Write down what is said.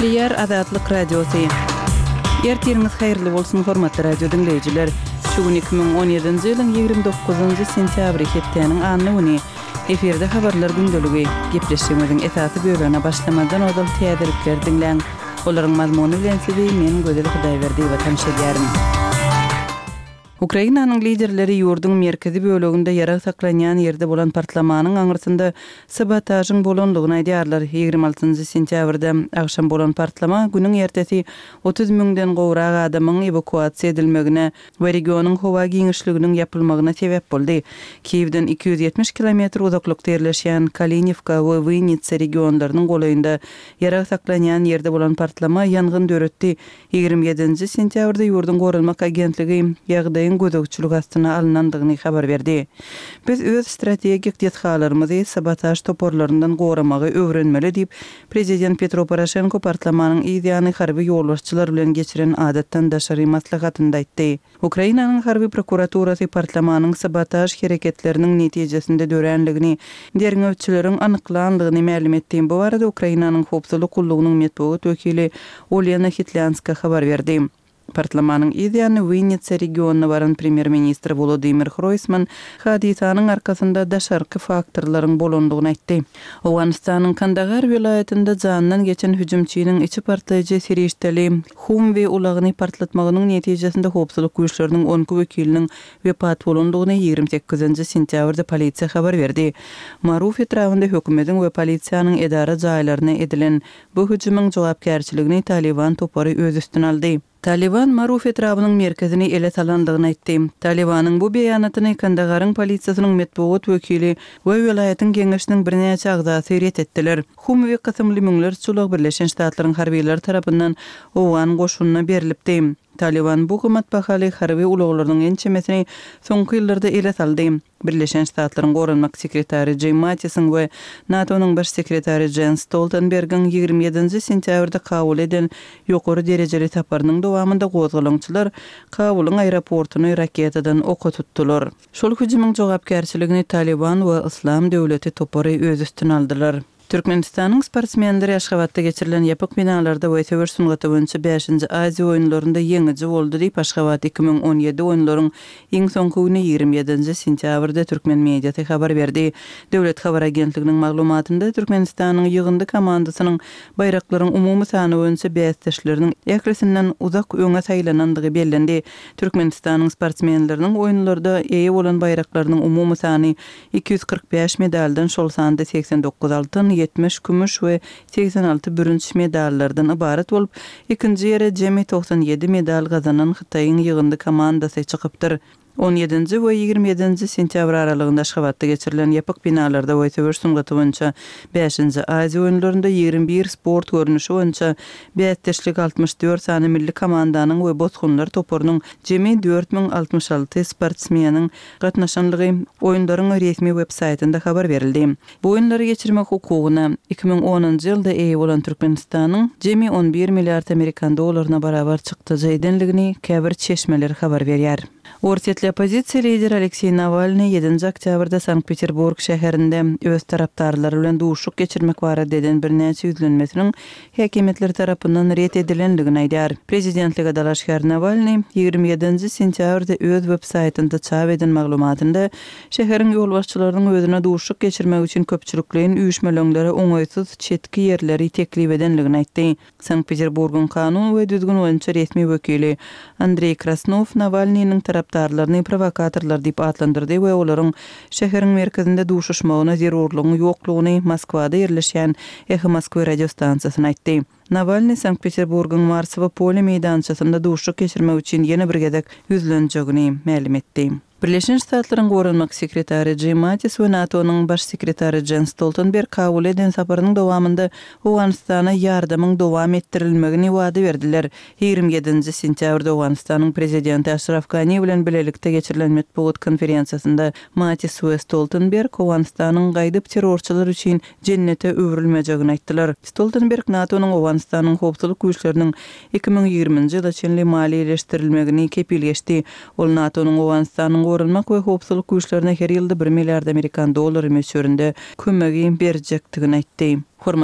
Gepleýär Azatlyk Radiosy. Ertiriňiz haýyrly bolsun, hormatly radio diňleýjiler! Şu gün 2017-nji ýylyň 29-njy sentýabry, hepdäniň anna güni. Efirde habarlar gündeligi. Gepleşigimiziň esasy bölegine başlamazdan ozal täzelikleri diňläň. Olaryň mazmuny bilen sizi men Gözel Hudaýberdiýewa tanyş edýärin. Ukrainanyň liderleri ýurduň merkezi böleginde ýarag saklanýan ýerde bolan partlamanyň aňyrsynda sabotažyň bolandygyny aýdýarlar. 26-njy sentýabrda agşam bolan partlama günüň ertesi 30 müňden gowrak adamyň ewakuasiýa edilmegine we regionyň howa giňişliginiň ýapylmagyna sebäp boldy. Kiýewden 270 kilometr uzaklykda ýerleşýän Kaliniwka we Winnitsa regionlarynyň golaýynda ýarag saklanýan ýerde bolan partlama ýangyn döretdi. 27-nji sentýabrda ýurduň Goranmak agentligi ýagdaýyň gözegçilik astyna alnandygyny habar berdi. Biz öz strategik desgalarymyzy sabotaž toparlaryndan goramagy öwrenmeli diýip, prezident Petro Poroşenko partlamanyň yz ýany harby ýolbaşçylar bilen geçiren adatdan daşary maslahatynda aýtdy. Ukrainanyň harby prokuraturasy partlamanyň sabotaž hereketleriniň netijesinde döränligini derňewçileriň anyklandygyny mälim etdi. Bu barada Ukrainanyň howpsuzlyk gullugynyň metbugat wekili Olena Hitlýanska habar berdi. Partlamanyň yz ýany Winnitsa regionyna baran premýer-ministr Wolodymyr Hroýsman hadysanyň arkasynda daşarky faktorlaryň bolandygyny aýtdy. Owganystanyň Kandahar welaýatynda janyndan geçen hüjümçiniň içi partlaýjy serişdeli Humwi ulagyny partlatmagynyň netijesinde howpsuzlyk güýçleriniň 12 wekiliniň wepat bolandygyny 28-nji sentýabrda polisiýa habar berdi. Maruf etrabynda hökümetiň we polisiýanyň edara jaýlaryna edilen bu hüjümiň jogapkärçiligini Talyban topary öz üstüne aldy. Talyban Maruf etrabynyň merkezini ele salandygyny aýtdy. Talybanyň bu beýanatyny Kandagaryň polisiýasynyň metbugat wekili we welaýatyň geňeşiniň birnäçe agzasy ret etdiler. Humwi kysymly müňlerçe ulag Birleşen Ştatlaryň harbylary tarapyndan owgan goşunyna berlipdi. Talyban bu gymmatbahaly harby ulaglarynyň ençemesini soňky ýyllarda ele saldy. Birleşen Ştatlaryň Goranmak sekretary Jim Mattisiň we NATO-nyň Baş sekretary Jens Stoltenbergiň 27-nji sentýabrda Kabula eden ýokary derejeli saparynyň dowamynda gozgalaňçylar Kabulyň aeroportuny raketadan oka tutdular. Şol hüjümiň jogapkärçiligini Talyban we Yslam döwleti topary öz üstüne aldylar. Türkmenistanyň sportsmenleri Aşgabatda geçirilen ýapyk binalarda we söweş sungaty boýunça bäşinji Aziýa oýunlarynda ýeňiji boldy diýip, Aşgabat 2017 oýunlaryň iň soňky güni 27-nji sentýabrda türkmen mediasy habar berdi. Döwlet habar agentliginiň maglumatynda Türkmenistanyň ýygyndy komandasynyň baýraklaryň umumy sany boýunça bäsdeşleriniň ählisinden uzak öňe saýlanandygy bellendi. Türkmenistanyň sportsmenleriniň oýunlarda eýe bolan baýraklarynyň umumy sany 245 medaldan, şol sanda 89 altyn, 70 kümüş we 86 bürünç medallardan ybarat bolup, ikinji ýere jemi 97 medal gazanan Hytaýyň ýygyndy komandasy çykypdyr. On ýedinji we 27-nji sentýabr aralygynda Aşgabatda geçirilen ýapyk binalarda we söweş sungaty boýunça bäşinji Aziýa oýunlarynda 21 sport görnüşi boýunça bäsdeşlik 64 sany milli komandanyň we bosgunlar toparynyň jemi 4066 sportsmeniň gatnaşanlygy Oýunlaryň resmi web-saýtynda habar berildi. Bu oýunlary geçirmek hukugyna 2010-njy ýylda eýe bolan Türkmenistanyň jemi on bir milliard amerikan dollaryna barabar çykdajy edenligini käbir çeşmeler habar berýär. Orsýetli oppozisiýa lideri Alekseý Nawalnyý ýedinji oktýabrda Sankt-Peterburg şäherinde öz tarapdarlary bilen duşuşyk geçirmek barada eden birnäçe ýüzlenmesiniň häkimiýetler tarapyndan ret edilendigini aýdýar. Prezidentlige dalaşgär Nawalnyý 27-nji sentýabrda öz web-saýtynda çap eden maglumatynda şäheriň ýolbaşçylarynyň özüne duşuşyk geçirmek üçin köpçülikleýin üýşmeleňlere oňaýsyz çetki ýerleri teklip edendigini aýtdy. Sankt-Peterburgyň kanun we düzgün boýunça resmi wekili Andreý Krasnow Nawalnynyň tarapdarlaryny prowokatorlar diýip atlandyrdy we olaryň şäheriň merkezinde duşuşmagyna zerurlygyň ýoklugyny Moskwada ýerleşýän Eho Moskwy radiostansiýasyna aýtdy. Nawalnyý Sankt-Peterburgyň Marsowo pole meýdançasynda duşuşyk geçirmek üçin ýene bir gezek ýüzlenjegini mälim etdi. Birleşen Ştatlaryň Goranmak sekretary Jim Mattis we NATO-nyň Baş sekretary Jens Stoltenberg Kabula eden saparynyň dowamynda Owganystana ýardamyň dowam etdirilmegini wada berdiler. 27-nji sentýabrda Owganystanyň Prezidenti Aşraf Gani bilen bilelikde geçirilen metbugat konferensiýasynda Mattis we Stoltenberg Owganystanyň gaýdyp terrorçylar üçin jennete öwrülmejegini aýtdylar. Stoltenberg NATO-nyň Owganystanyň howpsuzlyk güýçleriniň 2020-nji ýyla çenli maliýeleşdirilmegini kepil geçdi. Ol NATO-nyň Owganystanyň goranmak we howpsuzlyk güýçlerine her ýylda bir milliard amerikan dollary möçberinde kömegi berjekdigini aýtdy.